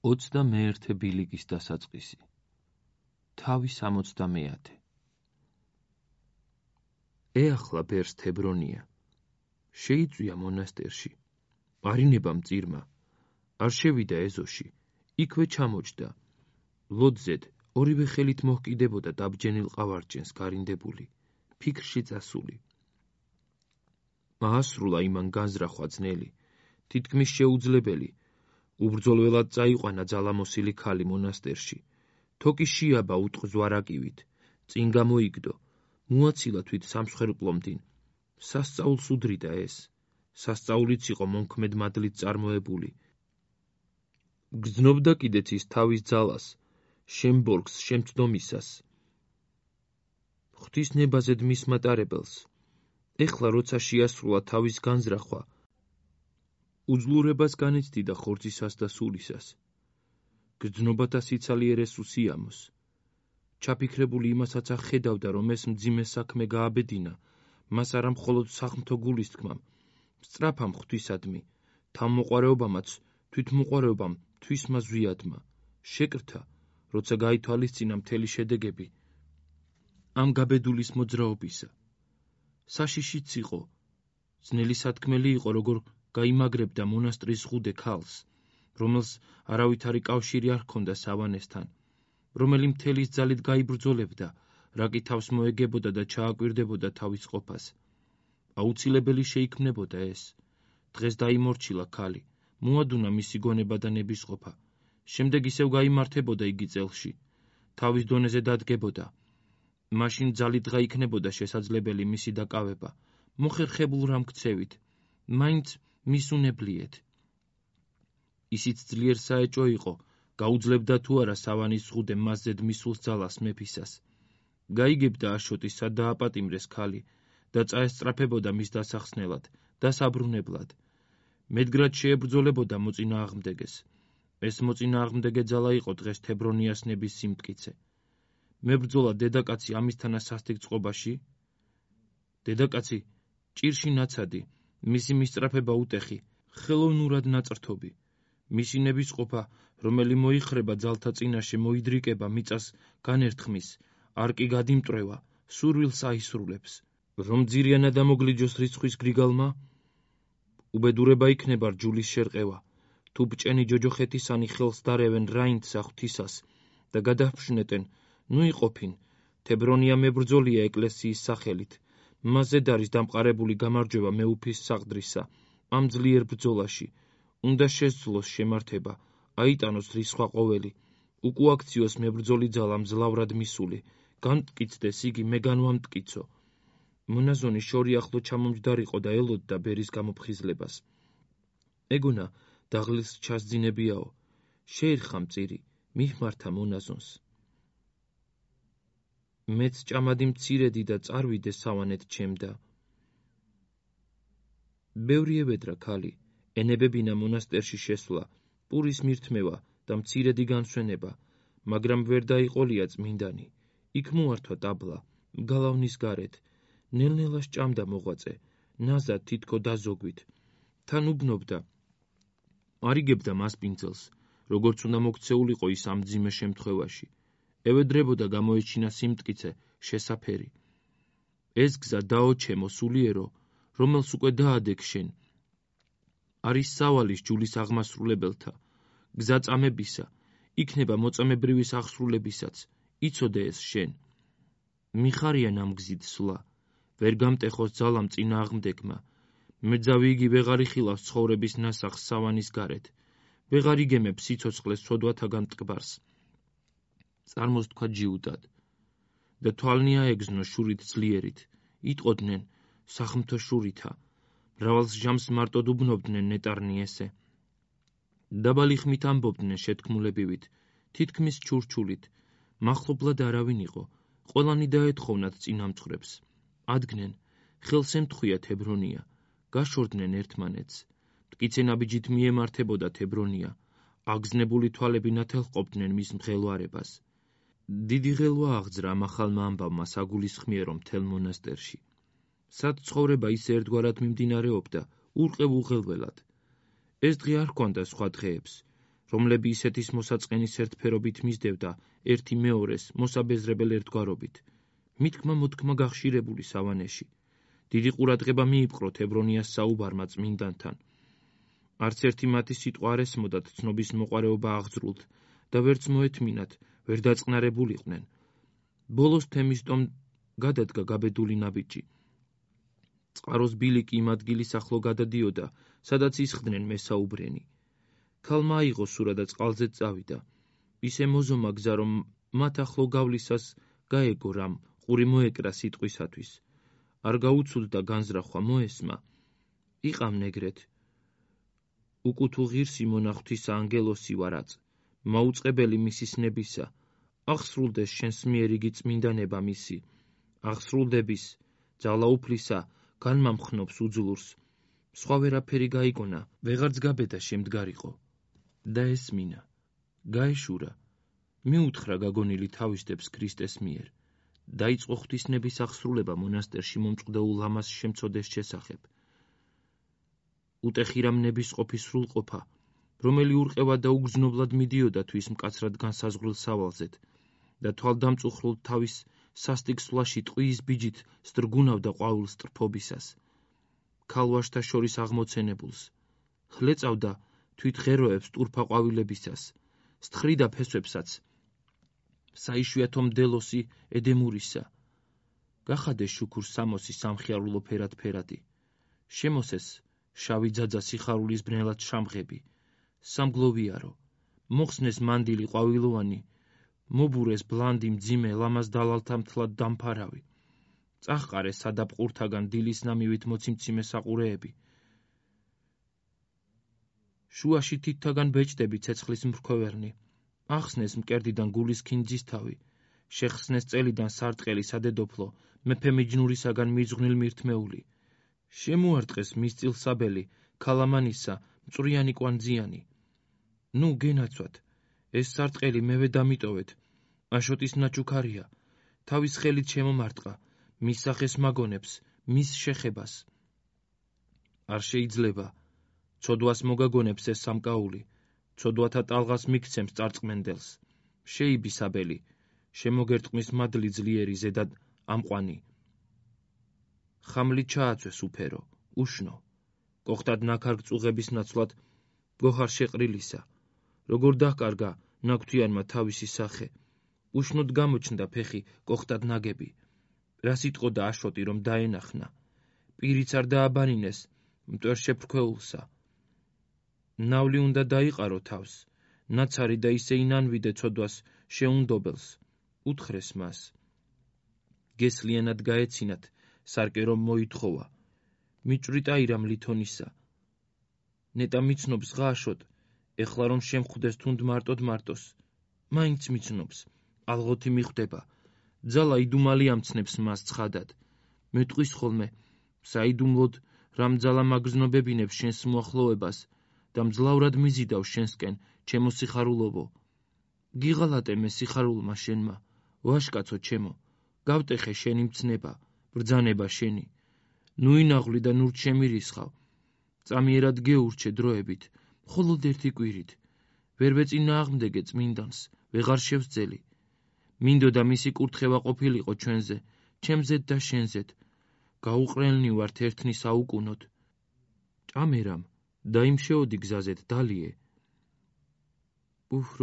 21 ბილიკის დასაწყისი. თავი 60. ეახლა ბერს თებრონია. შეიწვია მონასტერში. არინება მწირმა. არ შევიდა ეზოში. იქვე ჩამოჯდა. ლოძზედ ორივე ხელით მოჰკიდებოდა დაბჯენილ ყავარჯენს გარინდებული, ფიქრში წასული. აასრულა იმან განზრახვა ძნელი, თითქმის შეუძლებელი. უბრძოლველად წაიყვანა ძალამოსილი ქალი მონასტერში. თოკი შეაბა უტყ ზვარაკივით, წინ გამოიგდო, მოაცილა თვით სამსხვერპლომდინ. სასწაულს უდრიდა ეს. სასწაულიც იყო მონქმედ მადლით წარმოებული. გრძნობდა კიდეც ის თავის ძალას, შემბორგს შემცდომისას. ღვთის ნებაზედ მის მატარებელს. ეხლა როცა შეასრულა თავის განზრახვა, უძლურებას განიცდიდა ხორცისას და სულისას. გრძნობათა სიცალიერეს უსიამოს. ჩაფიქრებული იმასაც ახედავდა, რომ ეს მძიმე საქმე გააბედინა, მას არა მხოლოდ სახმთო გულისთქმამ, სწრაფამ ღვთისადმი, თავმოყვარეობამაც, თვითმოყვარეობამ, თვისმა ზვიადმა, შეკრთა, როცა გაითვალისწინა მთელი შედეგები ამ გაბედულის მოძრაობისა. საშიშიც იყო, ძნელი სათქმელი იყო, როგორ გაიმაგრებდა მონასტრის ზღუდე ქალს, რომელს არავითარი კავშირი არ ჰქონდა სავანესთან, რომელი მთელის ძალით გაიბრძოლებდა, რაკი თავს მოეგებოდა და ჩააკვირდებოდა თავის ყოფას. აუცილებელი შეიქმნებოდა ეს. დღეს დაიმორჩილა ქალი, მოადუნა მისი გონება და ნებისყოფა. შემდეგ ისევ გაიმართებოდა იგი წელში. თავის დონეზე დადგებოდა. მაშინ ძალით გაიქნებოდა შესაძლებელი მისი დაკავება, მოხერხებულ რამქცევით, მაინც მისუნებლიეთ. ისიც ძლიერ საეჭო იყო, გაუძლებდა თუ არა სავანის ზღუდე მასზედ მისულ ძალას მეფისას. გაიგებდა აშოტი სად დააპატიმრეს ქალი და წაესწრაფებოდა მის დასახსნელად, დასაბრუნებლად. მედგრად შეებრძოლებოდა მოწინააღმდეგეს. ეს მოწინააღმდეგე ძალა იყო დღეს თებრონიას ნების სიმტკიცე. მებრძოლა დედაკაცი ამისთანა სასტიკ წყობაში? დედაკაცი ჭირში ნაცადი, მისი მისწრაფება უტეხი, ხელოვნურად ნაწრთობი. მისი ნებისყოფა, რომელი მოიხრება ძალთა წინაშე, მოიდრიკება მიწას განერთხმის, არ კი გადიმტრევა, სურვილს აისრულებს. რომ ძირიანად ამოგლიჯოს რიცხვის გრიგალმა? უბედურება იქნება რჯულის შერყევა, თუ ბჭენი ჯოჯოხეთისანი ხელს დარევენ რაინდსა ღვთისას და გადაჰფშნეტენ, ნუ იყოფინ, თებრონია მებრძოლია ეკლესიის სახელით, მასზედ არის დამყარებული გამარჯვება მეუფის საყდრისა, ამ ძლიერ ბრძოლაში, უნდა შესძლოს შემართება, აიტანოს რისხვა ყოველი, უკუაქციოს მებრძოლი ძალა მძლავრად მისული, განმტკიცდეს იგი მე განვამტკიცო. მონაზონი შორი ახლო ჩამომჯდარიყო და ელოდდა ბერის გამოფხიზლებას. ეგონა დაღლილს ჩასძინებიაო, შეერხა მწირი, მიხმართა მონაზონს. მეც ჭამადი მცირედი და წარვიდე სავანეთ ჩემდა. ბევრი ევედრა ქალი, ენებებინა მონასტერში შესვლა, პურის მირთმევა და მცირედი განსვენება, მაგრამ ვერ დაიყოლია წმინდანი. იქ მოართვა ტაბლა, გალავნის გარეთ, ნელ-ნელა სჭამდა მოღვაწე, ნაზად თითქო დაზოგვით. თან უბნობდა, არიგებდა მასპინძელს, როგორც უნდა მოქცეულიყო ის ამ მძიმე შემთხვევაში. ევედრებოდა გამოეჩინა სიმტკიცე, შესაფერი. ეს გზა დაოჩემო სულიერო, რომელს უკვე დაადეკ შენ. არის სავალის ჯულის აღმასრულებელთა, გზა წამებისა, იქნება მოწამებრივის აღსრულებისაც, იცოდე ეს შენ. მიხარიან ამ გზით სვლა, ვერ გამტეხოს ძალამ წინააღმდეგმა. მეძავი იგი ვეღარ იხილავს ცხოვრების ნასახს სავანის გარეთ, ვეღარ იგემებს სიცოცხლეს სოდვათაგან მტკბარს. წარმოს თქვა ჯიუდად და თვალნი აეგზნო შურით ძლიერით, იტყოდნენ სახმთო შურითა, მრავალს ჟამს მარტოდ უბნობდნენ ნეტარნი ესე. დაბალი ხმით ამბობდნენ შეთქმულებივით, თითქმის ჩურჩულით, მახლობლად არავინ იყო, ყველანი დაეთხოვნათ წინამძღვრებს. ადგნენ, ხელს ემთხვია თებრონია, გაშორდნენ ერთმანეთს. მტკიცე ნაბიჯით მიემართებოდა თებრონია, აგზნებული თვალები ნათელყობდნენ მის მღელვარებას. დიდი ღელვა აღძრა ამ ახალმა ამბავმა საგულისხმიერო მთელ მონასტერში. სად ცხოვრება ისე ერთგვარად მიმდინარეობდა, ურყევ უღელველად. ეს დღე არ ჰქონდა სხვა დღეებს, რომლები ისეთის მოსაწყენის ერთფერობით მისდევდა ერთი მეორეს მოსაბეზრებელ ერთგვარობით. მითქმა მოთქმა გახშირებული სავანეში. დიდი ყურადღება მიიპყროთ ებრონიას საუბარმა წმინდანთან. არც ერთი მათი სიტყვა არ ესმოდათ ცნობის მოყარეობა აღძრულთ და ვერც მოეთმინათ, ვერ დაწყნარებულიყვნენ. ბოლოს თემის ტომ გადადგა გაბედული ნაბიჯი. წყაროს ბილიკი იმ ადგილის ახლო გადადიოდა, სადაც ისხდნენ მესაუბრენი. ქალმა აიღო სურა და წყალზე წავიდა. ისე მოზომა გზა, რომ მათ ახლო გავლისას გაეგო რამ ყური მოეკრა სიტყვისათვის. არ გაუცუდდა განზრახვა მოესმა. იყამ ნეგრეთ. უკუთუ ღირსი მონახთისა ანგელოსი ვარაც, მაუწყებელი მისის ნებისა, აღსრულდეს შენს მიერ იგი წმინდანება მისი, აღსრულდების, ძალაუფლისა, განმამხნობს უძლურს, სხვა ვერაფერი გაიგონა, ვეღარც გაბედა შემდგარიყო. და ესმინა, გაეშურა, მიუთხრა გაგონილი თავისდებს ქრისტეს მიერ, დაიწყო ღვთისნების აღსრულება მონასტერში მომწყდეულ ლამას შემწოდეს შესახებ. უტეხირამნების ყოფის სრულყოფა, რომელი ურყევა და უგზნობლად მიდიოდა თვის მკაცრად განსაზღვრილ სავალზეთ და თვალდამწუხრულ თავის სასტიკ სვლაში ტყუის ბიჯით სდრგუნავდა ყვავილ სტრფობისას. ქალვაშთა შორის აღმოცენებულს, ხლეწავდა თვით ღეროებს ტურფა ყვავილებისას, სთხრიდა ფესვებსაც, საიშვიათო მდელოსი ედემურისა. გახადეს შუქურს სამოსი სამხიარულო ფერად-ფერადი, შემოსეს შავი ძაძა სიხარულის ბნელად შამღები, სამგლოვიარო, მოხსნეს მანდილი ყვავილოვანი, მობურეს ბლანდი მძიმე ლამაზ დალალთა მთლად დამფარავი, წაჰყარეს სადაბყურთაგან დილის ნამივით მოციმციმე საყურეები. შუაში თითთაგან ბეჭდები ცეცხლის მრქვევერნი, ახსნეს მკერდიდან გულის ქინძის თავი, შეხსნეს წელიდან სარტყელი სადედოფლო, მეფე მიჯნურისაგან მიძღვნილ მირთმეული. შემოარტყეს მისწილსაბელი, ქალამანისა, მწვრიანი კვანძიანი. ნუ გენაცვათ, ეს სარტყელი მევე დამიტოვეთ, აშოტის ნაჩუქარია, თავის ხელით შემომარტყა, მის სახეს მაგონებს, მის შეხებას. არ შეიძლება, ცოდვას მოგაგონებს ეს სამკაული, ცოდვათა ტალღას მიქცემს წარწმენდელს. შეიბისაბელი, შემოგერტყმის მადლი ძლიერი ზედად ამყვანი. ხამლით ჩააცვეს უფერო, უშნო, კოხტად ნაქარგ წუღების ნაცვლად გოჰარ შეყრილისა, როგორ დაჰკარგა ნაგვთიანმა თავისი სახე, უშნოდ გამოჩნდა ფეხი კოხტად ნაგები, რა სიტყოდა აშოტი რომ დაენახნა, პირიც არ დააბანინეს მტვერ შეფრქვეულსა. ნავლი უნდა დაიყარო თავს, ნაცარი და ისე ინანვიდე ცოდვას შეუნდობელს, უთხრეს მას. გესლიანად გაეცინათ, სარკე რომ მოითხოვა, მიჭვრიტა ირამ ლითონისა. ნეტა მიცნობს ღაშოთ, ეხლა რომ შემხვდეს თუნდ მარტოს, მაინც მიცნობს, ალღოთი მიხვდება, ძალა იდუმალი ამცნებს მას ცხადად. მეტყვის ხოლმე, საიდუმლოდ რამ ძალა მაგზნობებინებს შენს მოახლოებას და მძლავრად მიზიდავ შენსკენ, ჩემო სიხარულოვო. გიღალატე მე სიხარულმა შენმა, ვაშკაცო ჩემო, გავტეხე შენი მცნება, ბრძანება შენი. ნუ ინაღვლი და ნურთ შემირისხავ. წამიერად გეურჩე დროებით, მხოლოდ ერთი კვირით. ვერ ვეწინააღმდეგე წმინდანს, ვეღარ შევსძელი. მინდოდა მისი კურთხევა ყოფილიყო ჩვენზე, ჩემზეთ და შენზეთ. გაუყრელნი ვართ ერთნის აუკუნოდ. ჭამერამ, დაიმშეოდი გზაზეთ, დალიე.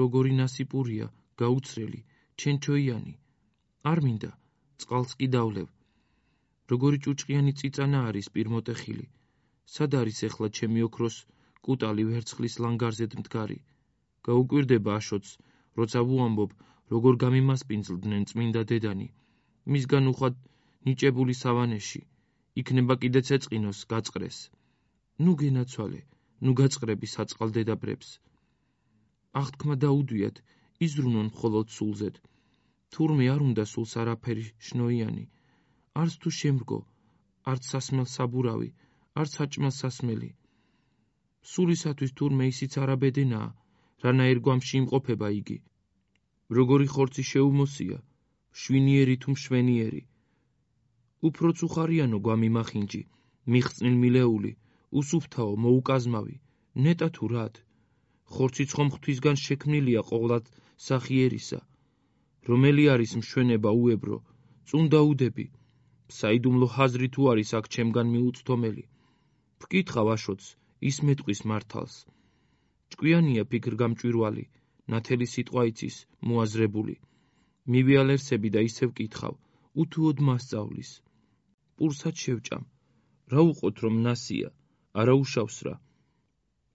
როგორი ნასიპურია, გაუცრელი, ჩენჩოიანი. არ მინდა, წყალს კი დავლევ. როგორი ჭუჭყიანი წიწანა არის პირმოტეხილი. სად არის ეხლა ჩემი ოქროს კუტალი ვერცხლის ლანგარზეთ მდგარი. გაუკვირდება აშოტს, როცა ვუამბობ, როგორ გამიმასპინძლდნენ წმინდა დედანი. მისგან უხვად ნიჭებული სავანეში. იქნება კიდე ცეწყინოს, გაწყრეს. ნუ გენაცვალე, ნუ გაწყრები საწყალ დედაბრებს. აღთქმა დაუდვიათ, იზრუნონ მხოლოდ სულზეთ. თურმე არ უნდა სულს არაფერი შნოიანი. არც თუ შემრგო, არც სასმელ საბურავი, არც საჭმელ სასმელი. სულისათვის თურმე ისიც არაბედენაა, რანაირ გვამში იმყოფება იგი. როგორი ხორცი შეუმოსია, შვინიერი თუ მშვენიერი. უფროც უხარიანო გვამიმახინჯი, მიხსნილ მილეული, უსუფთაო, მოუკაზმავი, ნეტა თუ რად. ხორციც ხომ ღვთისგან შექმნილია ყოვლად სახიერისა, რომელი არის მშვენება უებრო, წუნდაუდები, საიდუმლო ჰაზრი თუ არის აქ ჩემგან მიუწვდომელი. ვკითხავ აშოც, ის მეტყვის მართალს. ჭკვიანია ფიქრგამჭვირვალი, ნათელი სიტყვა იცის, მოაზრებული. მივიალერსები და ისევ ვკითხავ, უთუოდ მასწავლის. პურსაც შევჭამ, რა უყოთ რომ ნასია, არა უშავს რა.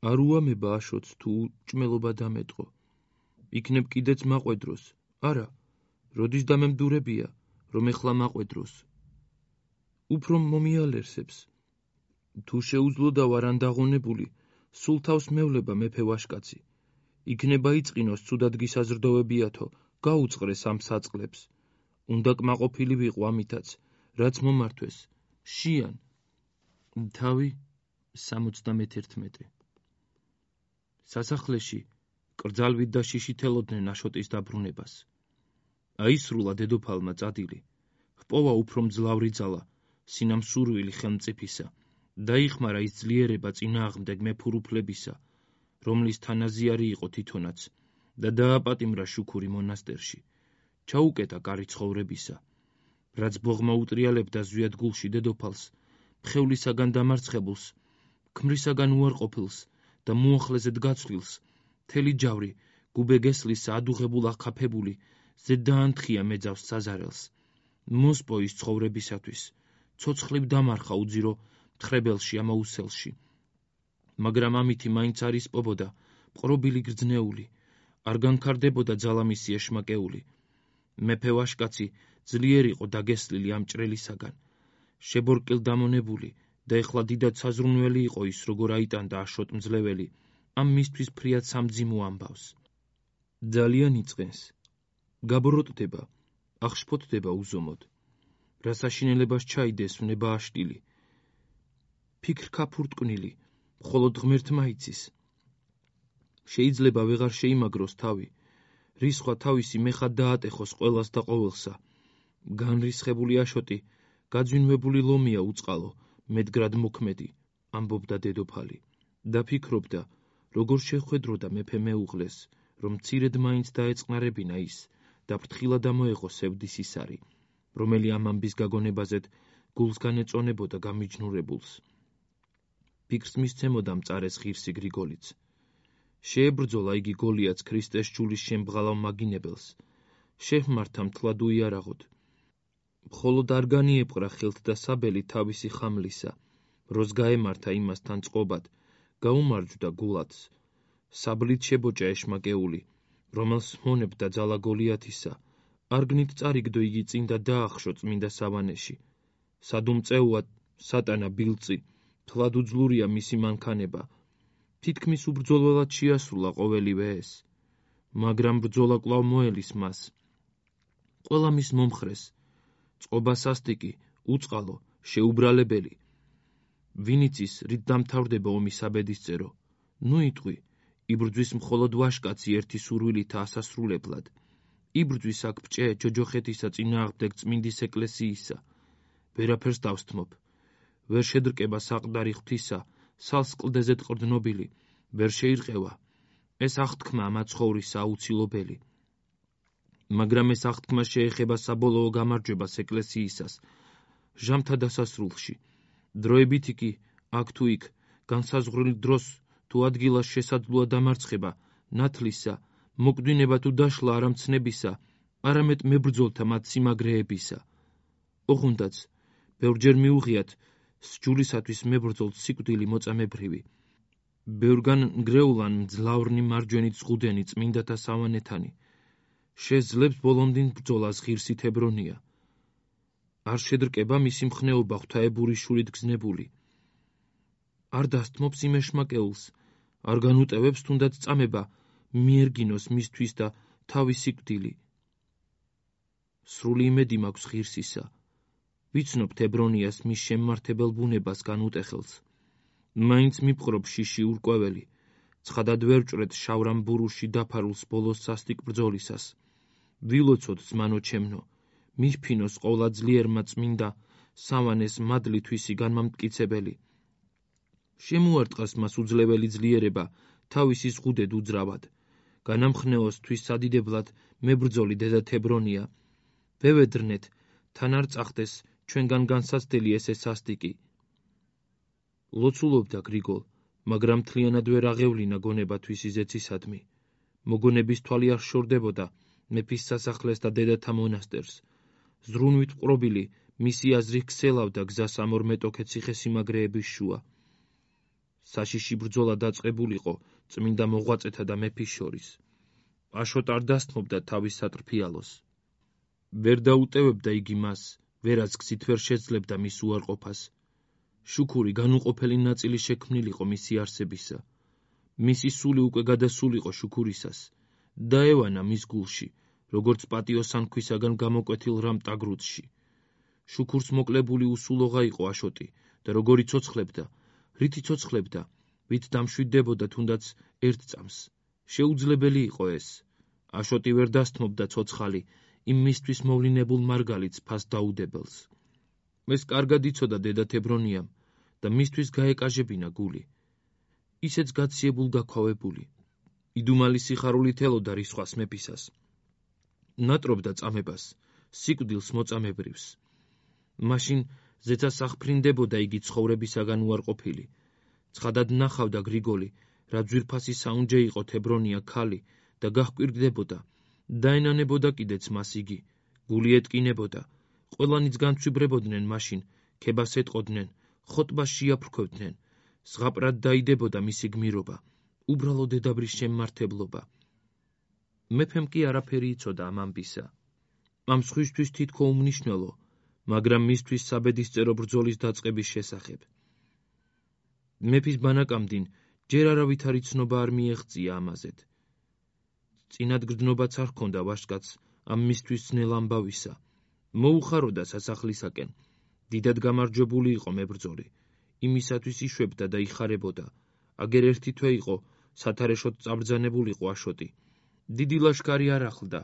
არ უამება აშოც თუ ჭმელობა დამეტყო. იქნებ კიდეც მაყვედროს, არა, როდის დამემდურებია, რომ ეხლა მაყვედროს. უფრო მომიალერსებს. თუ შეუძლო და ვარ ანდაღონებული, სულ თავს მევლება მეფე ვაშკაცი. იქნება იწყინოს ცუდად გისაზრდოვებიათო, გაუწყრეს ამ საწყლებს. უნდა კმაყოფილი ვიყო ამითაც, რაც მომართვეს. შიან. თავი 71. სასახლეში კრძალვით და შიშით ელოდნენ აშოტის დაბრუნებას. აისრულა დედოფალმა წადილი. ჰპოვა უფრო მძლავრი ძალა, სინამსურვილი ხელმწიფისა. დაიხმარა ის ძლიერება წინააღმდეგ მეფურუფლებისა, რომლის თანაზიარი იყო თვითონაც, და დააპატიმრა შუქური მონასტერში. ჩაუკეტა კარი ცხოვრებისა. რაც ბოღმა უტრიალებდა ზვიადგულში დედოფალს, მხევლისაგან დამარცხებულს, ქმრისაგან უარყოფილს და მოახლეზედ გაცვლილს, მთელი ჯავრი, გუბეგესლისა ადუღებულ ახაფებული, ზედ დაანთხია მეძავს საზარელს. მოსპო ის ცხოვრებისათვის, ცოცხლივ დამარხა უძირო მთხრებელში ამაუსელში. მაგრამ ამითი მაინც არ ისპობოდა, მყრობილი გრძნეული, არ განქარდებოდა ძალამისი ეშმაკეული. მეფე ვაშკაცი ძლიერ იყო დაგესლილი ამ ჭრელისაგან, შებორკილ დამონებული და ეხლა დიდად საზრუნველი იყო ის, როგორ აიტანდა აშოტ მძლეველი, ამ მისთვის ფრიად სამძიმო ამბავს. ძალიან იწყენს. გაბოროტდება, აღშფოთდება უზომოდ. რა საშინელებას ჩაიდეს ვნება აშტილი. ფიქრ ქაფურტკვნილი, მხოლოდ ღმერთმა იცის. შეიძლება ვეღარ შეიმაგროს თავი, რისხვა თავისი მეხად დაატეხოს ყველას და ყოველსა. განრისხებული აშოტი, გაძვინვებული ლომია უწყალო, მედგრად მოქმედი, ამბობდა დედოფალი. და ფიქრობდა, როგორ შეხვედროდა მეფე მეუღლეს, რომ მცირედ მაინც დაეწყნარებინა ის და ფრთხილად ამოეღო სევდის ისარი, რომელი ამ ამბის გაგონებაზედ გულს განეწონებოდა გამიჯნურებულს. ფიქრს მისცემოდა მწარეს ღირსი გრიგოლიც. შეებრძოლა იგი გოლიათს ქრისტეს ჯულის შემბღალავ მაგინებელს. შეჰმართა მთლად უიარაღოდ. მხოლოდ არ განიეპყრა ხელთ და საბელი თავისი ხამლისა, როს გაემართა იმასთან წყობად, გაუმარჯვდა გულათს. საბლით შებოჭა ეშმაკეული, რომელს მონებდა ძალა გოლიათისა, არგნით წარიგდო იგი წინ და დაახშო წმინდა სავანეში. სადუმწეუად სატანა ბილწი, თლად უძლურია მისი მანქანება. თითქმის უბრძოლველად შეასრულა ყოველივე ეს, მაგრამ ბრძოლა კვლავ მოელის მას. ყველა მის მომხრეს, წყობა სასტიკი, უწყალო, შეუბრალებელი. ვინიცის რით დამთავრდება ომის აბედისწერო, ნუ იტყვი, იბრძვის მხოლოდ ვაშკაცი ერთი სურვილითა ასასრულებლად. იბრძვის აქ ბჭე ჯოჯოხეთისა წინააღმდეგ წმინდის ეკლესიისა. ვერაფერს დავსთმობ. ვერ შედრკება საყდარი ღვთისა, სალს კლდეზედ ყრდნობილი, ვერ შეირყევა. ეს აღთქმა მაცხოვრისა აუცილებელი. მაგრამ ეს აღთქმა შეეხება საბოლოო გამარჯვებას ეკლესიისას, ჟამთა დასასრულში. დროებით იგი, აქ თუ იქ, განსაზღვრილ დროს თუ ადგილას შესაძლოა დამარცხება, ნათლისა, მოკვდინება თუ დაშლა არა მცნებისა, არამედ მებრძოლთა მათ სიმაგრეებისა. ოღონდაც, ბევრჯერ მიუღიათ, სჯულისათვის მებრძოლ სიკვდილი მოწამებრივი. ბევრგან ნგრეულან მძლავრნი მარჯვენით ზღუდენი წმინდათა სავანეთანი. შეძლებს ბოლომდინ ბრძოლას ღირსი თებრონია. არ შედრკება მისი მხნეობა ღვთაებური შულით გზნებული. არ დასთმობს იმ ეშმაკეულს, არ განუტევებს თუნდაც წამება, მიერგინოს მისთვის და თავის სიკვდილი. სრული იმედი მაქვს ღირსისა. ვიცნობ თებრონიას მის შემმართებელ ბუნებას განუტეხელს. მაინც მიპყრობ შიში ურკვეველი, ცხადად ვერ ვჭრეთ შავრამ ბურუში დაფარულს ბოლოს სასტიკ ბრძოლისას. ვილოცოთ ზმანო ჩემნო, მიფფინოს ყოლა ძლიერმა წმინდა სავანეს მადლი თვისი განმამტკიცებელი. შემუარტყას მას უძლეველი ძლიერება თავისი ზღუდედ უძრავად. განამხნეოს თვის სადიდებლად მებრძოლი დედა თებრონია. ვევედრნეთ, თან არ წახდეს ჩვენგან განსაცდელი ესე სასტიკი. ლოცულობდა გრიგოლ, მაგრამ მთლიანად ვერ აღევლინა გონება თვისი ზეცისადმი. მოგონების თვალი არ შორდებოდა მეფის სასახლეს და დედათა მონასტერს. ზრუნვით ყრობილი მისი აზრი ქსელავდა გზას ამ ორ მეტოქე ციხესიმაგრეების შუა. საშიში ბრძოლა დაწყებულიყო წმინდა მოღვაწეთა და მეფის შორის. აშოტ არ დასთმობდა თავის სატრფიალოს. ვერ დაუტევებდა იგი მას, ვერაც გზით ვერ შეძლებდა მის უარყოფას. შუქური განუყოფელი ნაწილი შექმნილიყო მისი არსებისა. მისი სული უკვე გადასულიყო შუქურისას. დაევანა მის გულში, როგორც პატიოსან ქვისაგან გამოკვეთილ რამ ტაგრუცში. შუქურს მოკლებული უსულოღა იყო აშოტი და როგორი ცოცხლებდა, რითი ცოცხლებდა, ვით დამშვიდდებოდა თუნდაც ერთ წამს. შეუძლებელი იყო ეს. აშოტი ვერ დასთმობდა ცოცხალი იმ მისთვის მოვლინებულ მარგალიტს ფას დაუდებელს. ეს კარგად იცოდა დედა თებრონიამ და მისთვის გაეკაჟებინა გული. ისეც გაციებულ გაქვავებული. იდუმალი სიხარულით ელოდა რისხვას მეფისას. ნატრობდა წამებას, სიკვდილს მოწამებრივს. მაშინ ზეცას აღფრინდებოდა იგი ცხოვრებისაგან უარყოფილი. ცხადად ნახავდა გრიგოლი, რა ძვირფასი საუნჯე იყო თებრონია ქალი და გაჰკვირდებოდა. დაენანებოდა კიდეც მას იგი, გული ეტკინებოდა. ყველანიც განცვიბრებოდნენ მაშინ, ქებას ეტყოდნენ, ხოტბას შეაფრქვევდნენ. ზღაპრად დაიდებოდა მისი გმირობა, უბრალო დედაბრის შემმართებლობა. მეფემ კი არაფერი იცოდა ამ ამბისა. ამ სხვისთვის თითქო უმნიშვნელო, მაგრამ მისთვის საბედისწერო ბრძოლის დაწყების შესახებ. მეფის ბანაკამდინ ჯერ არავით არ იცნობა არ მიეღწია ამაზედ. წინად გრძნობაც არ ჰქონდა ვაჟკაცს ამ მისთვის ძნელ ამბავისა. მოუხაროდა სასახლისაკენ. დიდად გამარჯვებული იყო მებრძოლი. იმისათვის იშვებდა და იხარებოდა. აგერ ერთი თვე იყო სათარეშოდ წაბრძანებულიყო აშოტი. დიდი ლაშქარი არ ახლდა,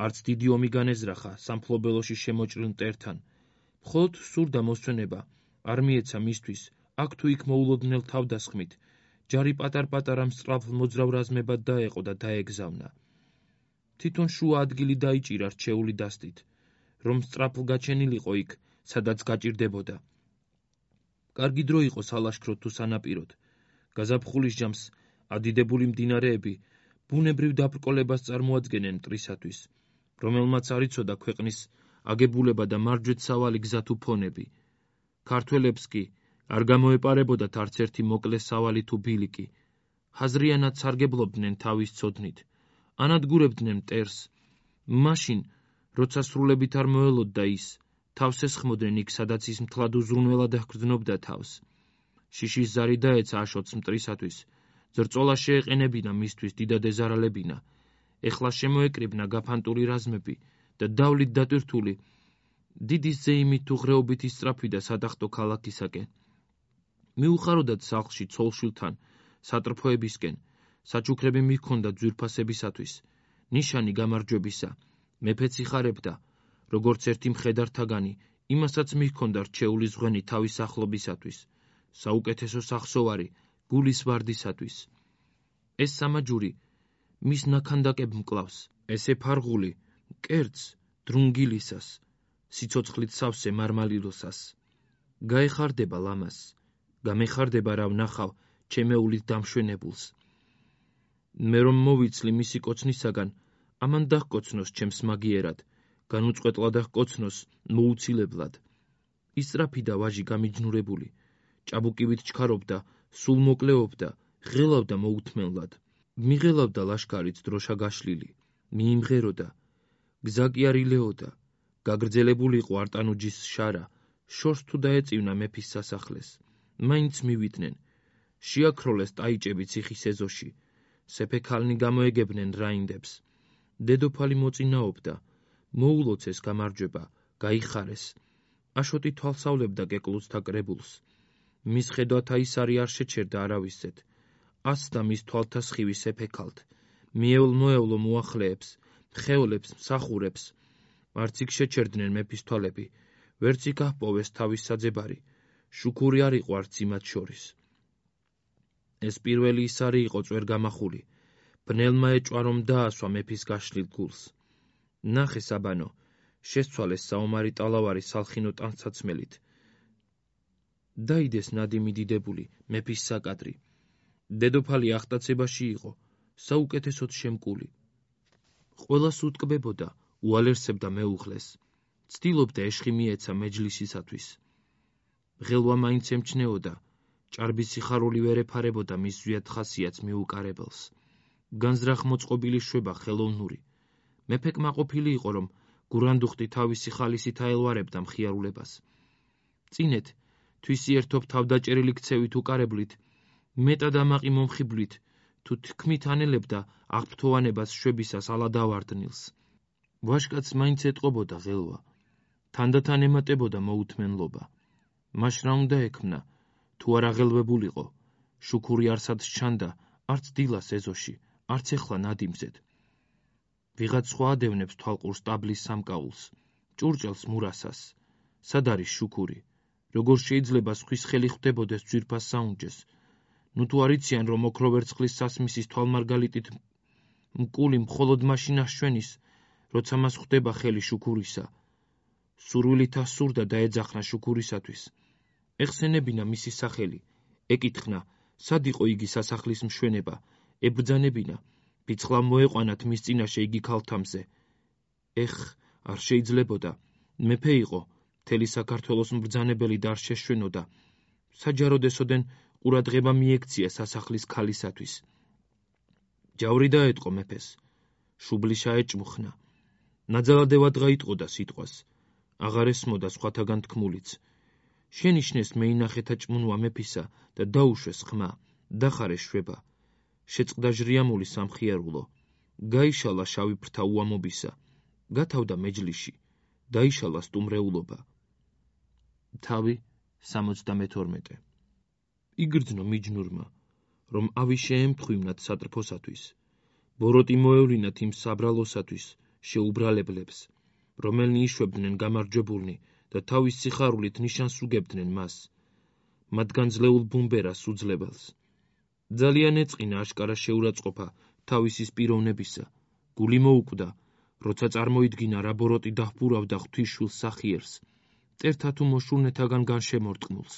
არც დიდი ომი განეზრახა სამფლობელოში შემოჭრილ მტერთან. მხოლოდ სურდა მოსვენება, არ მიეცა მისთვის, აქ თუ იქ მოულოდნელ თავდასხმით, ჯარი პატარ-პატარა მსწრაფ მოძრავ რაზმებად დაეყო და დაეგზავნა. თვითონ შუა ადგილი დაიჭირა რჩეული დასტით, რომ სწრაფლ გაჩენილიყო იქ, სადაც გაჭირდებოდა. კარგი დრო იყო სალაშქროდ თუ სანაპიროდ. გაზაფხულის ჯამს ადიდებული მდინარეები ბუნებრივ დაბრკოლებას წარმოადგენენ მტრისათვის, რომელმაც არ იცოდა ქვეყნის აგებულება და მარჯვეთ სავალი გზა თუ ფონები. ქართველებს კი არ გამოეპარებოდათ არც ერთი მოკლე სავალი თუ ბილიკი. ჰაზრიანად სარგებლობდნენ თავის ცოდნით. ანადგურებდნენ მტერს. მაშინ, როცა სრულებით არ მოელოდდა ის, თავს ესხმოდნენ იქ, სადაც ის მთლად უზრუნველად აღგრძნობდა თავს. შიშის ზარი დაეცა აშოტს მტრისათვის. ზრწოლა შეეყენებინა მისთვის დიდად ეზარალებინა. ეხლა შემოეკრიბნა გაფანტული რაზმები და დავლით დატვირთული დიდი ზეიმით თუ ღრეობით ისწრაფვიდა სადახტო ქალაქისაკენ. მიუხაროდათ სახლში ცოლშვილთან, სატრფოებისკენ, საჩუქრები მიჰქონდა ძვირფასებისათვის, ნიშანი გამარჯვებისა. მეფეც იხარებდა, როგორც ერთი მხედართაგანი, იმასაც მიჰქონდა რჩეული ზღვენი თავის ახლობისათვის, საუკეთესო სახსოვარი გულის ვარდისათვის. ეს სამაჯური მის ნაქანდაკებ მკლავს, ესე ფარღული მკერდს დრუნგილისას, სიცოცხლით სავსე მარმალილოსას. გაეხარდება ლამას, გამეხარდება რა ვნახავ ჩემეულით დამშვენებულს. მე რომ მოვიცლი მისი კოცნისაგან, ამან დაჰკოცნოს ჩემს მაგიერად, განუწყვეტლად დაჰკოცნოს მოუცილებლად. ისწრაფიდა ვაჟი გამიჯნურებული, ჭაბუკივით ჩქარობდა, სულ მოკლეობდა, ღელავდა მოუთმენლად. მიღელავდა ლაშქარიც დროშა გაშლილი, მიიმღეროდა, გზა კი არ ილეოდა, გაგრძელებულიყო არტანუჯის შარა, შორს თუ დაეწივნა მეფის სასახლეს. მაინც მივიდნენ, შეაქროლეს ტაიჭები ციხის ეზოში, სეფექალნი გამოეგებნენ რაინდებს. დედოფალი მოწინაობდა, მოულოცეს გამარჯვება, გაიხარეს. აშოტი თვალსავლებდა კეკლუცთა კრებულს. მის ხედვათა ის არი არ შეჩერდა არავისეთ. ასდა მის თვალთა სხივი სეფექალთ, მიევლ-მოევლო მოახლეებს, მხეოლებს, მსახურებს. არც იქ შეჩერდნენ მეფის თვალები, ვერც იქ აჰპოვეს თავის საძებარი, შუქური არ იყო არც იმათ შორის. ეს პირველი ისარი იყო წვერ გამახული. ბნელმა ეჭვა რომ დაასვა მეფის გაშლილ გულს. ნახე საბანო, შესცვალეს საომარი ტალავარი სალხინო ტანსაცმელით. დაიდეს ნადიმი დიდებული, მეფის საკადრი. დედოფალი ახტაცებაში იყო, საუკეთესოდ შემკული. ყველას უტკბებოდა, უალერსებდა მეუღლეს. ცდილობდა ეშხი მიეცა მეჯლისისათვის. ღელვა მაინც ემჩნეოდა, ჭარბი სიხარული ვერ ეფარებოდა მის ზვიად ხასიათს მიუკარებელს. განზრახ მოწყობილი შვება ხელოვნური. მეფე კმაყოფილი იყო, რომ გურანდუხტი თავისი ხალისით აელვარებდა მხიარულებას. წინეთ, თვისიერთობ თავდაჭერილი ქცევით უკარებლით, მეტად ამაყი მომხიბვლით, თუ თქმით ანელებდა აღფრთოვანებას შვებისას ალადავარდნილს. ვაშკაცს მაინც ეტყობოდა ღელვა. თანდათან ემატებოდა მოუთმენლობა. მაშ რა უნდა ექმნა, თუ არ აღელვებულიყო, შუქური არსად სჩანდა, არც დილას ეზოში, არც ეხლა ნადიმზედ. ვიღაც სხვა ადევნებს თვალყურს ტაბლის სამკაულს, ჭურჭელს მურასას. სად არის შუქური? როგორ შეიძლება სხვის ხელი ხვდებოდეს ძვირფას საუნჯეს? ნუ თუ არ იციან, რომ ოქრო ვერცხლის სასმისის თვალმარგალიტით მკული მხოლოდ მაშინ აშვენის, როცა მას ხვდება ხელი შუქურისა. სურვილით ასურდა და ეძახნა შუქურისათვის. ეხსენებინა მისი სახელი, ეკითხნა, სად იყო იგი სასახლის მშვენება, ებრძანებინა, ბიცხლა მოეყვანათ მის წინაშე იგი ქალთამზე. არ შეიძლებოდა, მეფე იყო, მთელი საქართველოს მბრძანებელი და არ შეშვენოდა. საჯაროდ ესოდენ ყურადღება მიექცია სასახლის ქალისათვის. ჯავრი დაეტყო მეფეს, შუბლიშა ეჭმუხნა. ნაძალადევად გაიტყოდა სიტყვას, აღარ ესმოდა სხვათაგან თქმულიც. შენიშნეს მეინახეთა ჭმუნვა მეფისა და დაუშვეს ხმა, დახარეს შვება. შეწყდა ჟრიამული სამხიარულო, გაიშალა შავი ფრთა უამობისა, გათავდა მეჯლიში, დაიშალა სტუმრეულობა. თავი 72. იგრძნო მიჯნურმა, რომ ავი შეემთხვივნათ სატრფოსათვის, ბოროტი მოევლინათ იმ საბრალოსათვის, შეუბრალებლებს, რომელნი იშვებდნენ გამარჯვებულნი და თავის სიხარულით ნიშანს უგებდნენ მას, მათგან ძლეულ ბუმბერას უძლებელს. ძალიან ეწყინა აშკარა შეურაცხყოფა თავისის პიროვნებისა, გული მოუკვდა, როცა წარმოიდგინა რა ბოროტი დაჰბურავდა ღვთისშვილს სახიერს, წერთა თუ მოშურნეთაგან განშემორტყმულს.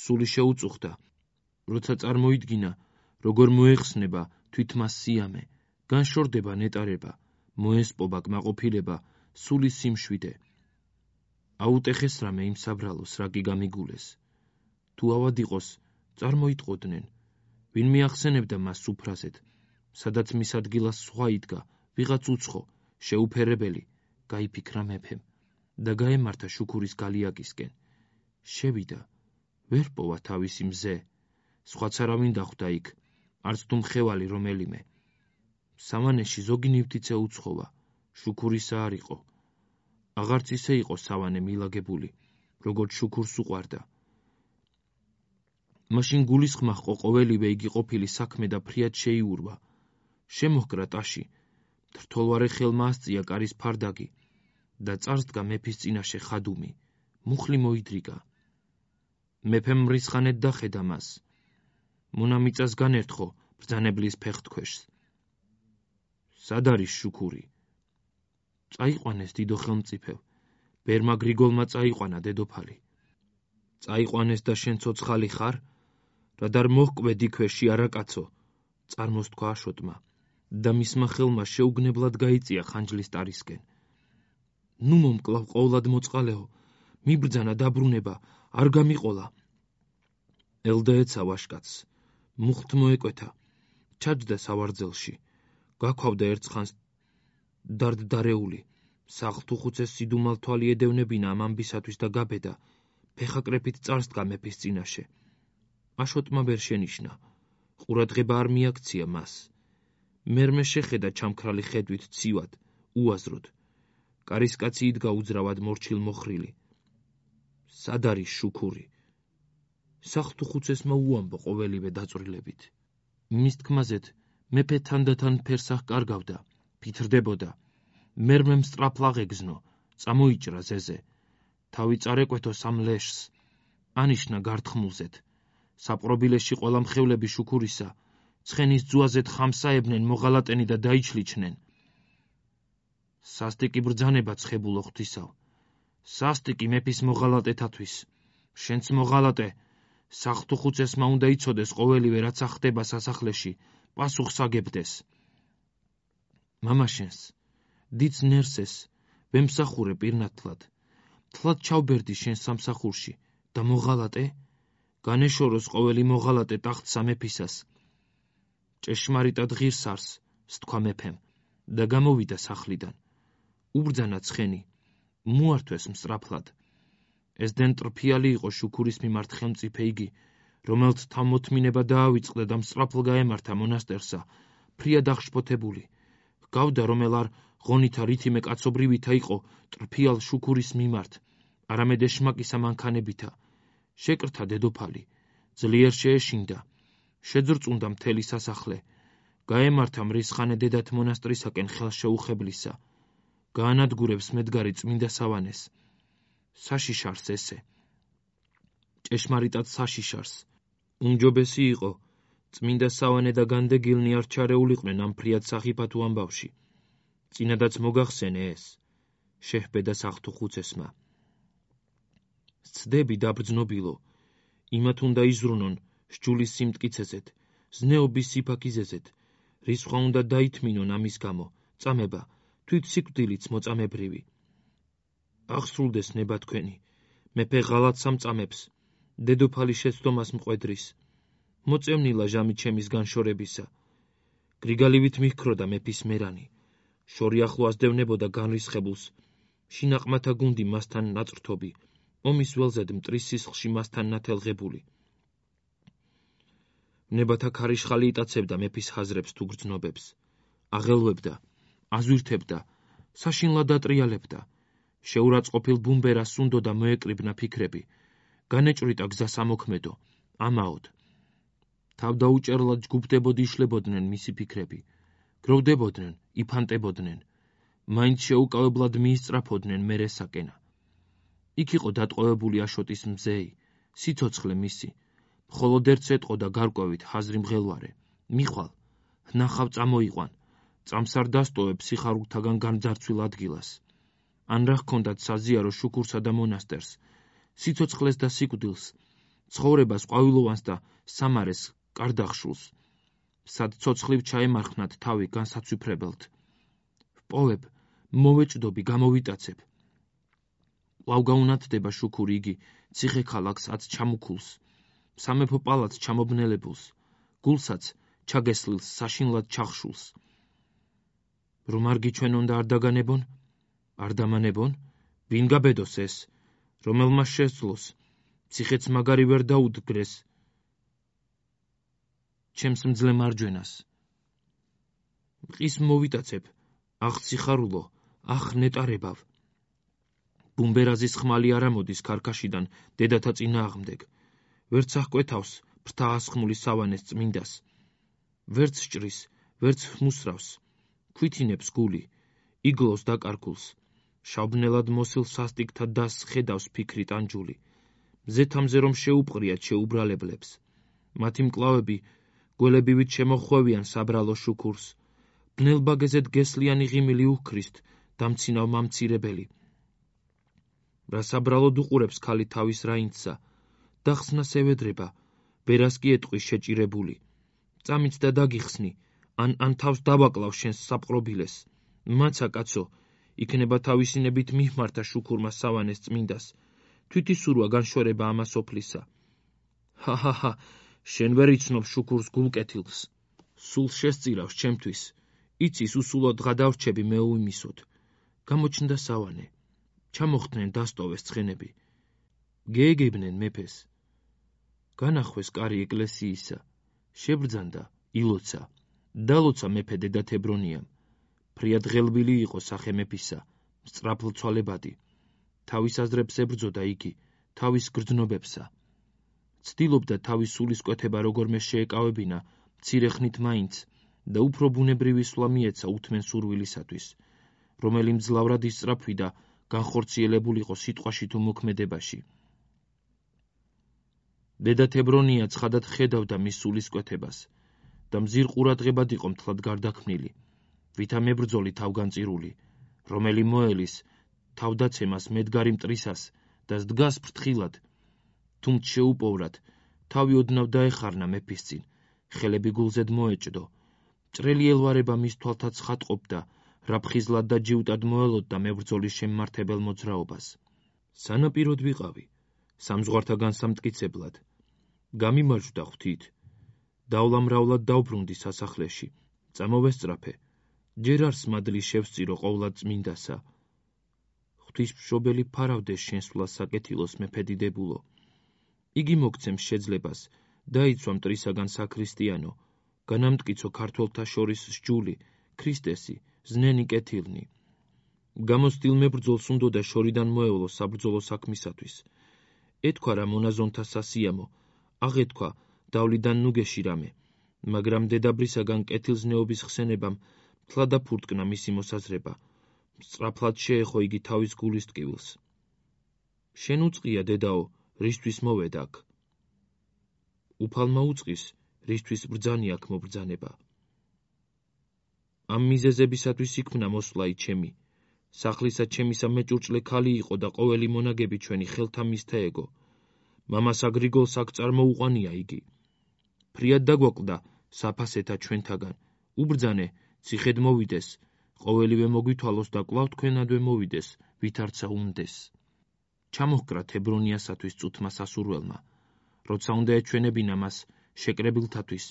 სული შეუწუხდა, როცა წარმოიდგინა, როგორ მოეხსნება თვითმას სიამე, განშორდება ნეტარება, მოესპობა კმაყოფილება, სულის სიმშვიდე. აუტეხეს რამე იმ საბრალოს, რა კი გამიგულეს. თუ ავად იყოს, წარმოიტყოდნენ, ვინ მიახსენებდა მას სუფრაზედ, სადაც მის ადგილას სხვა იდგა, ვიღაც უცხო, შეუფერებელი, გაიფიქრა მეფემ და გაემართა შუქურის გალიაკისკენ. შევიდა, ვერ პოვა თავისი მზე, სხვაც არავინ დახვდა იქ, არც თუ მხევალი რომელიმე. სავანეში ზოგი ნივთიცე უცხოვა, შუქურისა არ იყო. აღარც ისე იყო სავანე მილაგებული, როგორც შუქურს უყვარდა. მაშინ გულისხმა ჰყო ყოველივე იგი ყოფილი საქმე და ფრიად შეიურვა. შემოჰკრა ტაში, თრთოლვარე ხელმა ასწია კარის ფარდაგი და წარსდგა მეფის წინაშე ხადუმი, მუხლი მოიდრიგა. მეფემ მრისხანეთ დახედა მას. მონა მიწას განერთხო ბრძანებლის ფეხთქვეშს. სად არის შუქური? წაიყვანეს დიდო ხელმწიფევ, ბერმა გრიგოლმა წაიყვანა დედოფალი. წაიყვანეს და შენ ცოცხალი ხარ? რადგან მოჰკვე დიქვეში არაკაცო, წარმოსთქვა აშოტმა და მისმა ხელმა შეუგნებლად გაიწია ხანჯლის ტარისკენ. ნუ მომკლავ ყოვლად მოწყალეო, მიბრძანა დაბრუნება, არ გამიყოლა. ელდა ეცა ვაშკაცს, მუხთ მოეკვეთა, ჩაჯდა სავარძელში, გაქვავდა ერთხანს დარდდარეული, სახლთუხუცეს სიდუმალ თვალი ედევნებინა ამ ამბისათვის და გაბედა, ფეხაკრეფით წარსდგა მეფის წინაშე. აშოტმა ვერ შენიშნა, ყურადღება არ მიაქცია მას. მერმე შეხედა ჩამქრალი ხედვით ცივად, უაზროდ. კარისკაცი იდგა უძრავად მორჩილ მოხრილი. სად არის შუქური? სახლთუხუცესმა უამბო ყოველივე დაწვრილებით. მის თქმაზეთ მეფე თანდათან ფერს აღკარგავდა, ფითრდებოდა. მერმემ სწრაფლ აღეგზნო, წამოიჭრა ზეზე. თავი წარეკვეთო სამ ლეშს, ანიშნა გართხმულზეთ. საპყრობილეში ყველა მხევლები შუქურისა, ცხენის ძუაზეთ ხამსაებნენ მოღალატენი და დაიჩლიჩნენ. სასტიკი ბრძანება ცხებულო ღვთისავ, სასტიკი მეფის მოღალატეთათვის, შენც მოღალატე, საღთუხუცესმა უნდა იცოდეს ყოველივე, რაც ახდება სასახლეში, პასუხს აგებდეს. მამაშენს, დიდს ნერსეს, ვემსახურე პირნათლად, თლად ჩავბერდი შენ სამსახურში და მოღალატე, განეშოროს ყოველი მოღალატე ტახტსა მეფისას. ჭეშმარიტად ღირს არს, სთქვა მეფემ და გამოვიდა სახლიდან. უბრძანა ცხენი, მოართვეს მსწრაფლად. ეს დენტრფიალი იყო შუქურის მიმართ ხელმწიფე იგი, რომელთ თავმოთმინება დაავიწყდა და მსწრაფლ გაემართა მონასტერსა, ფრიად აღშფოთებული. ჰგავდა, რომელ არ ღონითა რითიმე კაცობრივითა იყო ტრფიალ შუქურის მიმართ, არამედ ეშმაკისა მანქანებითა. შეკრთა დედოფალი, ძლიერ შეეშინდა, შეძრწუნდა მთელი სასახლე, გაემართა მრისხანე დედათ მონასტრისაკენ ხელშეუხებლისა, გაანადგურებს მედგარი წმინდა სავანეს. საშიშარს ესე. ჭეშმარიტად საშიშარს. უმჯობესი იყო, წმინდა სავანე და განდეგილნი არ ჩარეულიყვნენ ამ ფრიად სახიფათო ამბავში. წინადაც მოგახსენე ეს, შეჰბედა საღთუხუცესმა. სცდები დაბრძნობილო, იმათ უნდა იზრუნონ სჯულის სიმტკიცეზეთ, ზნეობის სიფაქიზეზეთ, რისხვა უნდა დაითმინონ ამის გამო, წამება, თვით სიკვდილიც მოწამებრივი. აღსრულდეს ნება თქვენი, მეფე ღალატს ამწამებს, დედოფალი შეცდომას მყვედრის. მოწევნილა ჟამი ჩემის განშორებისა. გრიგალივით მიჰქროდა მეფის მერანი, შორი ახლო ასდევნებოდა განრისხებულს, შინაყმათა გუნდი მასთან ნაწრთობი, ომის ველზედ მტრის სისხლში მასთან ნათელღებული. ნებათა ქარიშხალი იტაცებდა მეფის ხაზრებს თუ გრძნობებს, აღელვებდა, აზვირთებდა, საშინლად ატრიალებდა. შეურაცხყოფილ ბუმბერას უნდოდა მოეკრიბნა ფიქრები, განეჭვრიტა გზას ამოქმედო, ამაოდ. თავდაუჭერლად ჯგუფდებოდი იშლებოდნენ მისი ფიქრები, გროვდებოდნენ, იფანტებოდნენ, მაინც შეუკავებლად მიისწრაფოდნენ მერესაკენა. იქ იყო დატყვევებული აშოტის მზეი, სიცოცხლე მისი, მხოლოდ ერთ ეტყოდა გარკვევით ხაზრი მღელვარე, მიხვალ, ნახავ წამოიყვან, წამს არ დასტოვებ სიხარულთაგან განძარცვილ ადგილას. ან რა ჰქონდათ საზიარო შუქურსა და მონასტერს, სიცოცხლეს და სიკვდილს, ცხოვრებას ყვავილოვანს და სამარეს კარდახშულს, სად ცოცხლივ ჩაემარხნათ თავი განსაცვიფრებელთ. ვპოვებ, მოვეჭდობი, გამოვიტაცებ. კვლავ გაუნათდება შუქური იგი, ციხე ქალაქსაც ჩამუქულს, სამეფო პალატს ჩამობნელებულს, გულსაც ჩაგესლილს საშინლად ჩახშულს. რომ არ გიჩვენონ და არ დაგანებონ? არ დამანებონ? ვინ გაბედოს ეს, რომელმა შესძლოს, ციხეც მაგარი ვერ დაუდგრეს ჩემს მძლე მარჯვენას. მყის მოვიტაცებ, აღ სიხარულო, აღ ნეტარებავ. ბუმბერაზის ხმალი არ ამოდის ქარქაშიდან დედათა წინააღმდეგ, ვერც აღკვეთავს ფრთა ასხმული სავანეს წმინდას, ვერც სჭრის, ვერც ხმუსრავს, ქვითინებს გული, იგლოს დაკარგულს, შავბნელად მოსილ სასტიკთა დასს ხედავს ფიქრი ტანჯული, მზეთამზე რომ შეუპყრიათ შეუბრალებლებს, მათი მკლავები გველებივით შემოხვევიან საბრალო შუქურს, ბნელბაგეზეთ გესლიანი ღიმილი უქრისთ, დამცინავ მამცირებელი. რა საბრალოდ უყურებს ქალი თავის რაინდსა, დახსნას ევედრება, ვერას კი ეტყვის შეჭირებული. წამიც და დაგიხსნი, ან თავს დავაკლავ შენს საპყრობილეს. მაცა კაცო, იქნება თავისინებით მიჰმართა შუქურმა სავანეს წმინდას, თვითისურვა განშორება ამას ოფლისა. ჰა, შენ ვერ იცნობ შუქურს გულკეთილს, სულ შესწირავს ჩემთვის, იცის უსულოდ დღა დავრჩები მე უიმისოდ. გამოჩნდა სავანე, ჩამოხდნენ დასტოვეს ცხენები, გეეგებნენ მეფეს. განახვეს კარი ეკლესიისა, შებრძანდა, ილოცა, დალოცა მეფე დედათ ებრონიამ. ფრიად ღელბილი იყო სახე მეფისა, სწრაფლცვალებადი. თავის აზრებს ებრძოდა იგი, თავის გრძნობებსა. ცდილობდა თავის სულის კვეთება როგორმე შეეკავებინა, მცირე ხნით მაინც, და უფრო ბუნებრივი სვლა მიეცა უთმენ სურვილისათვის, რომელი მძლავრად დედა თებრონია ცხადად ხედავდა მის სულისკვეთებას და მზիր ყურადღებად იყო მთლად გარდაქმნილი, ვითა მებრძოლი თავგანწირული, რომელი მოელის თავდაცემას მედგარი მტრისას და დგას ფრთხილად, თუმც შეუპოვრად, თავი ოდნავ დაეხარნა მეფის წინ, ხელები გულზედ მოეჭდო, მჭრელი ელვარება მის თვალთაც ხატყობდა, რაფხიზლად და ჯიუტად მოელოდდა მებრძოლის შემმართებელ მოძრაობას. სანაპიროდ ვიყავი, სამზღვართაგან სამტკიცებლად. გამიმარჯვდა ღვთით, დავლამრავლად დავბრუნდი სასახლეში, წამოვესწრაფე, ჯერ არს მადლი შევსწირო ყოვლად წმინდასა. ღვთისმშობელი ფარავდეს შენსვლას საკეთილოს მეფე დიდებულო. იგი მოგცემს შეძლებას, დაიცვა მტრისაგან საქრისტიანო, განამტკიცო ქართველთა შორის სჯული, ქრისტესი, ზნენი კეთილნი. გამოცდილ მებრძოლს უნდოდა შორიდან მოევლო საბრძოლო საქმისათვის. ეთქვა რა მონაზონთა სასიამო, აღეთქვა დავლიდან ნუგეში რამე, მაგრამ დედაბრისაგან კეთილზნეობის ხსენებამ მთლად აფურტკნა მისი მოსაზრება, სწრაფლად შეეხო იგი თავის გულის ტკივილს. შენ უწყია, დედაო, რისთვის მოვედ აქ? უფალმა უწყის, რისთვის ბრძანი აქ მობრძანება. ამ მიზეზებისათვის იქმნა მოსვლაი ჩემი. სახლისა ჩემისა მეჭურჭლე ქალი იყო და ყოველი მონაგები ჩვენი ხელთა მისთა ეგო. მამასა გრიგოლს აქ წარმოუყვანია იგი. ფრიად დაგვაკლდა საფასეთა ჩვენთაგან. უბრძანე, ციხედ მოვიდეს, ყოველივე მოგვითვალოს და კვლავ თქვენადვე მოვიდეს, ვითარცა უნდეს. ჩამოჰკრა თებრონიასათვის წუთმა სასურველმა, როცა უნდა ეჩვენებინა მას შეკრებილთათვის,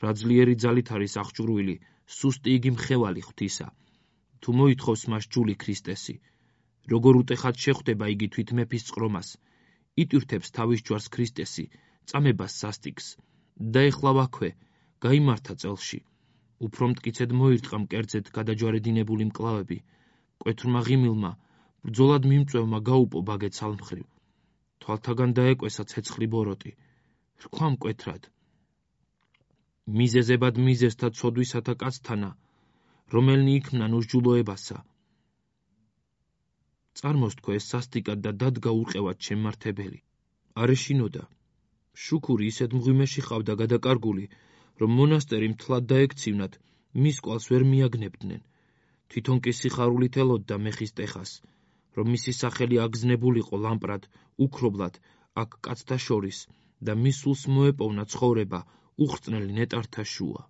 რა ძლიერი ძალით არის აღჭურვილი, სუსტი იგი მხევალი ღვთისა. თუ მოითხოვს მას ჯული ქრისტესი, როგორ უტეხად შეხვდება იგი თვით მეფის წყრომას, იტვირთებს თავის ჯვარს ქრისტესი, წამებას სასტიკს, და ეხლა ვაქვე, გაიმართა წელში. უფრო მტკიცედ მოირტყა მკერდზედ გადაჯვარედინებული მკლავები, მკვეთრმა ღიმილმა, ბრძოლად მიმწვევმა გაუპო ბაგე ცალმხრივ, თვალთაგან დაეკვესა ცეცხლი ბოროტი, რქვა მკვეთრად. მიზეზებად მიზეზთა ცოდვისათა კაცთანა, რომელნი იქმნან უსჯულოებასა. წარმოსთქო ეს სასტიკად და დადგა ურყევად შემმართებელი. არ ეშინოდა. შუქური ისეთ მღვიმეში ყავდა გადაკარგული, რომ მონასტერი მთლად დაექცივნათ, მის კვალს ვერ მიაგნებდნენ. თვითონ კი სიხარულით ელოდდა მეხის ტეხას, რომ მისი სახელი აგზნებულიყო ლამპრად, უქრობლად, აქ კაცთა შორის და მის სულს მოეპოვნა ცხოვრება უხრწნელი ნეტართა შუა.